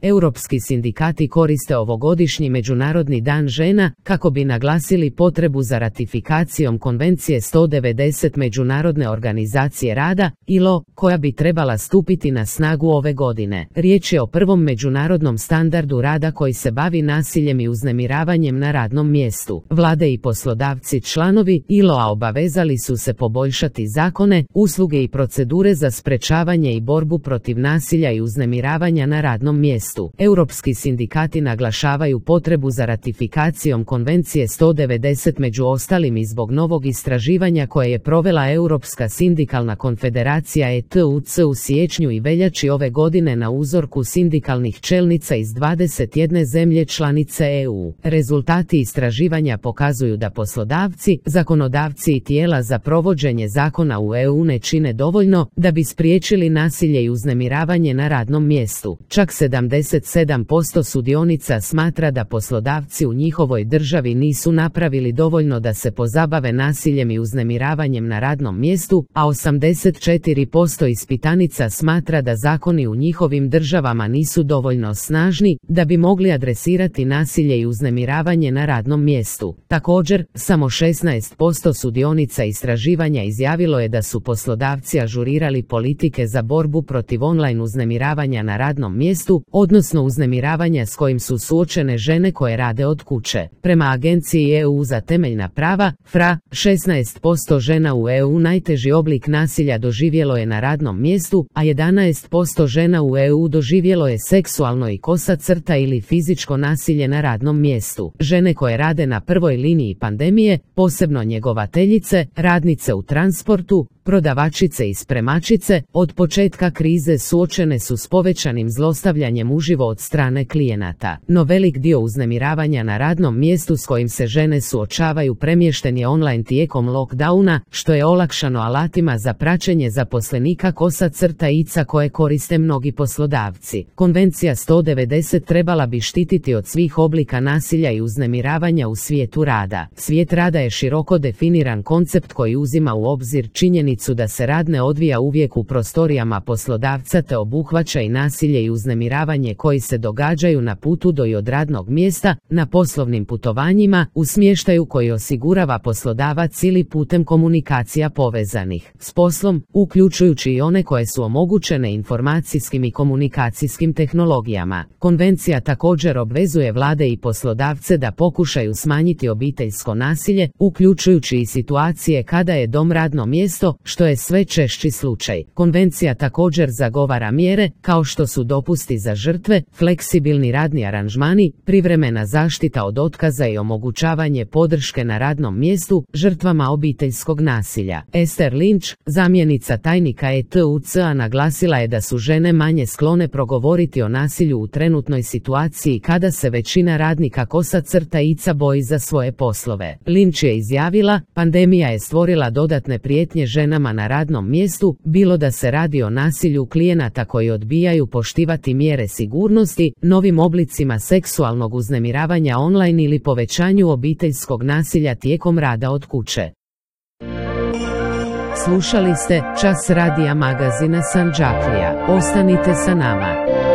Europski sindikati koriste ovogodišnji Međunarodni dan žena kako bi naglasili potrebu za ratifikacijom Konvencije 190 Međunarodne organizacije rada, ILO, koja bi trebala stupiti na snagu ove godine. Riječ je o prvom međunarodnom standardu rada koji se bavi nasiljem i uznemiravanjem na radnom mjestu. Vlade i poslodavci članovi ILO-a obavezali su se poboljšati zakone, usluge i procedure za sprečavanje i borbu protiv nasilja i uznemiravanja na radnom mjestu. Europski sindikati naglašavaju potrebu za ratifikacijom Konvencije 190 među ostalim i zbog novog istraživanja koje je provela Europska sindikalna konfederacija ETUC u siječnju i veljači ove godine na uzorku sindikalnih čelnica iz 21 zemlje članice EU. Rezultati istraživanja pokazuju da poslodavci, zakonodavci i tijela za provođenje zakona u EU ne čine dovoljno da bi spriječili nasilje i uznemiravanje na radnom mjestu. Čak 77% sudionica smatra da poslodavci u njihovoj državi nisu napravili dovoljno da se pozabave nasiljem i uznemiravanjem na radnom mjestu, a 84% ispitanica smatra da zakoni u njihovim državama nisu dovoljno snažni da bi mogli adresirati nasilje i uznemiravanje na radnom mjestu. Također, samo 16% sudionica istraživanja izjavilo je da su poslodavci ažurirali politike za borbu protiv online uznemiravanja na radnom mjestu, odnosno uznemiravanja s kojim su suočene žene koje rade od kuće. Prema Agenciji EU za temeljna prava, FRA, 16% žena u EU najteži oblik nasilja doživjelo je na radnom mjestu, a 11% žena u EU doživjelo je seksualno i kosa crta ili fizičko nasilje na radnom mjestu. Žene koje rade na prvoj liniji pandemije, posebno njegovateljice, radnice u transportu, prodavačice i spremačice, od početka krize suočene su s povećanim zlostavljanjem uživo od strane klijenata. No velik dio uznemiravanja na radnom mjestu s kojim se žene suočavaju premješten je online tijekom lockdowna, što je olakšano alatima za praćenje zaposlenika kosa crta ica koje koriste mnogi poslodavci. Konvencija 190 trebala bi štititi od svih oblika nasilja i uznemiravanja u svijetu rada. Svijet rada je široko definiran koncept koji uzima u obzir činjenicu da se rad ne odvija uvijek u prostorijama poslodavca te obuhvaća i nasilje i uznemiravanje koji se događaju na putu do i od radnog mjesta, na poslovnim putovanjima, u smještaju koji osigurava poslodavac ili putem komunikacija povezanih s poslom, uključujući i one koje su omogućene informacijskim i komunikacijskim tehnologijama. Konvencija također obvezuje vlade i poslodavce da pokušaju smanjiti obiteljsko nasilje, uključujući i situacije kada je dom radno mjesto, što je sve češći slučaj. Konvencija također zagovara mjere, kao što su dopusti za žrtve, fleksibilni radni aranžmani, privremena zaštita od otkaza i omogućavanje podrške na radnom mjestu žrtvama obiteljskog nasilja. Esther Lynch, zamjenica tajnika ETUC-a, naglasila je da su žene manje sklone progovoriti o nasilju u trenutnoj situaciji kada se većina radnika kosa crta ica boji za svoje poslove. Lynch je izjavila, pandemija je stvorila dodatne prijetnje ženama na radnom mjestu, bilo da se radi o nasilju klijenata koji odbijaju poštivati mjere sigurnosti, novim oblicima seksualnog uznemiravanja online ili povećanju obiteljskog nasilja tijekom rada od kuće. Slušali ste Čas radija magazina Sandžaklija. Ostanite sa nama.